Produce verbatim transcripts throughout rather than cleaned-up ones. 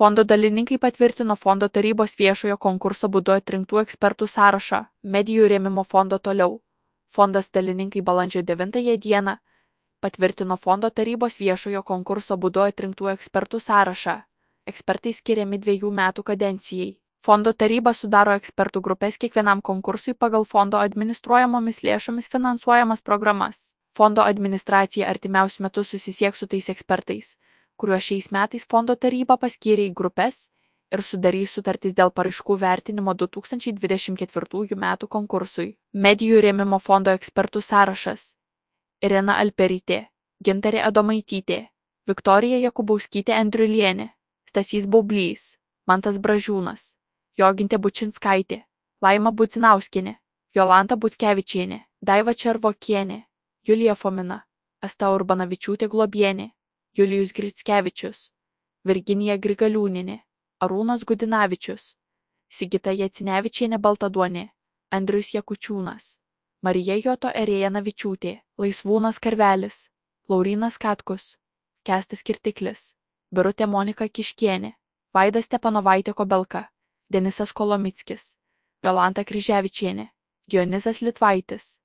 Fondo dalininkai patvirtino fondo tarybos viešojo konkurso būdu atrinktų ekspertų sąrašą. Medijų rėmimo fondo toliau. Fondas dalininkai balandžio devintąją dieną patvirtino fondo tarybos viešojo konkurso būdu atrinktų ekspertų sąrašą. Ekspertai skiriami dviejų metų kadencijai. Fondo taryba sudaro ekspertų grupės kiekvienam konkursui pagal fondo administruojamomis lėšomis finansuojamas programas. Fondo administracija artimiausiu metu susisieks su tais ekspertais, kuriuos šiais metais fondo taryba paskyrė į grupės ir sudarys sutartis dėl paraiškų vertinimo du tūkstančiai dvidešimt ketvirtųjų metų konkursui. Medijų rėmimo fondo ekspertų sąrašas. Irena Alperytė, Gintarė Adomaitytė, Viktorija Jakubauskytė Andriulienė, Stasys Baublys, Mantas Bražiūnas, Jogintė Bučinskaitė, Laima Budzinauskienė, Jolanta Butkevičienė, Daiva Červokienė, Julija Fomina, Asta Urbanavičiūtė Globienė, Julijus Grickevičius, Virginija Grigaliūnienė, Arūnas Gudinavičius, Sigita Jacinevičienė Baltaduonė, Andrius Jakučiūnas, Marija Joto Erėjanavičiūtė, Laisvūnas Karvelis, Laurynas Katkus, Kęstas Kirtiklis, Birutė Monika Kiškienė, Vaidas Stepanovaitė Kobelka, Denisas Kolomickis, Jolanta Kryževičienė, Dionizas Litvaitis,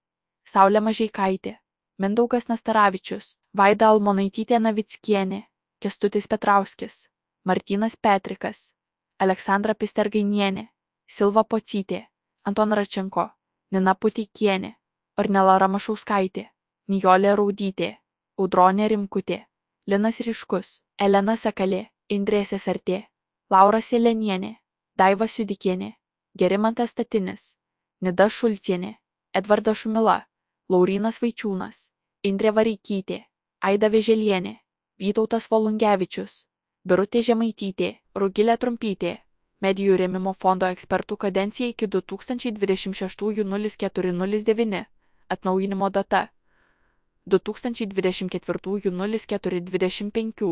Saulė Mažeikaitė, Mindaugas Nastaravičius, Vaida Almonaitytė Navickienė, Kęstutis Petrauskis, Martynas Petrikas, Aleksandra Pistergainienė, Silva Pocytė, Anton Račenko, Nina Puteikienė, Ornela Ramašauskaitė, Nijolė Raudytė, Audronė Rimkutė, Linas Ryškus, Elena Sakalė, Indrė Sesartė, Laura Selenienė, Daiva Siudikienė, Gerimantas Statinis, Nida Šulcienė, Edvardas Šumila, Laurynas Vaičiūnas, Indrė Vareikytė, Aida Vėželienė, Vytautas Volungevičius, Birutė Žemaitytė, Rugilė Trumpytė. Medijų rėmimo fondo ekspertų kadencija iki du tūkstančiai dvidešimt šeštųjų nulis keturi nulis devyni. Atnaujinimo data du tūkstančiai dvidešimt ketvirtųjų nulis keturi dvidešimt penki.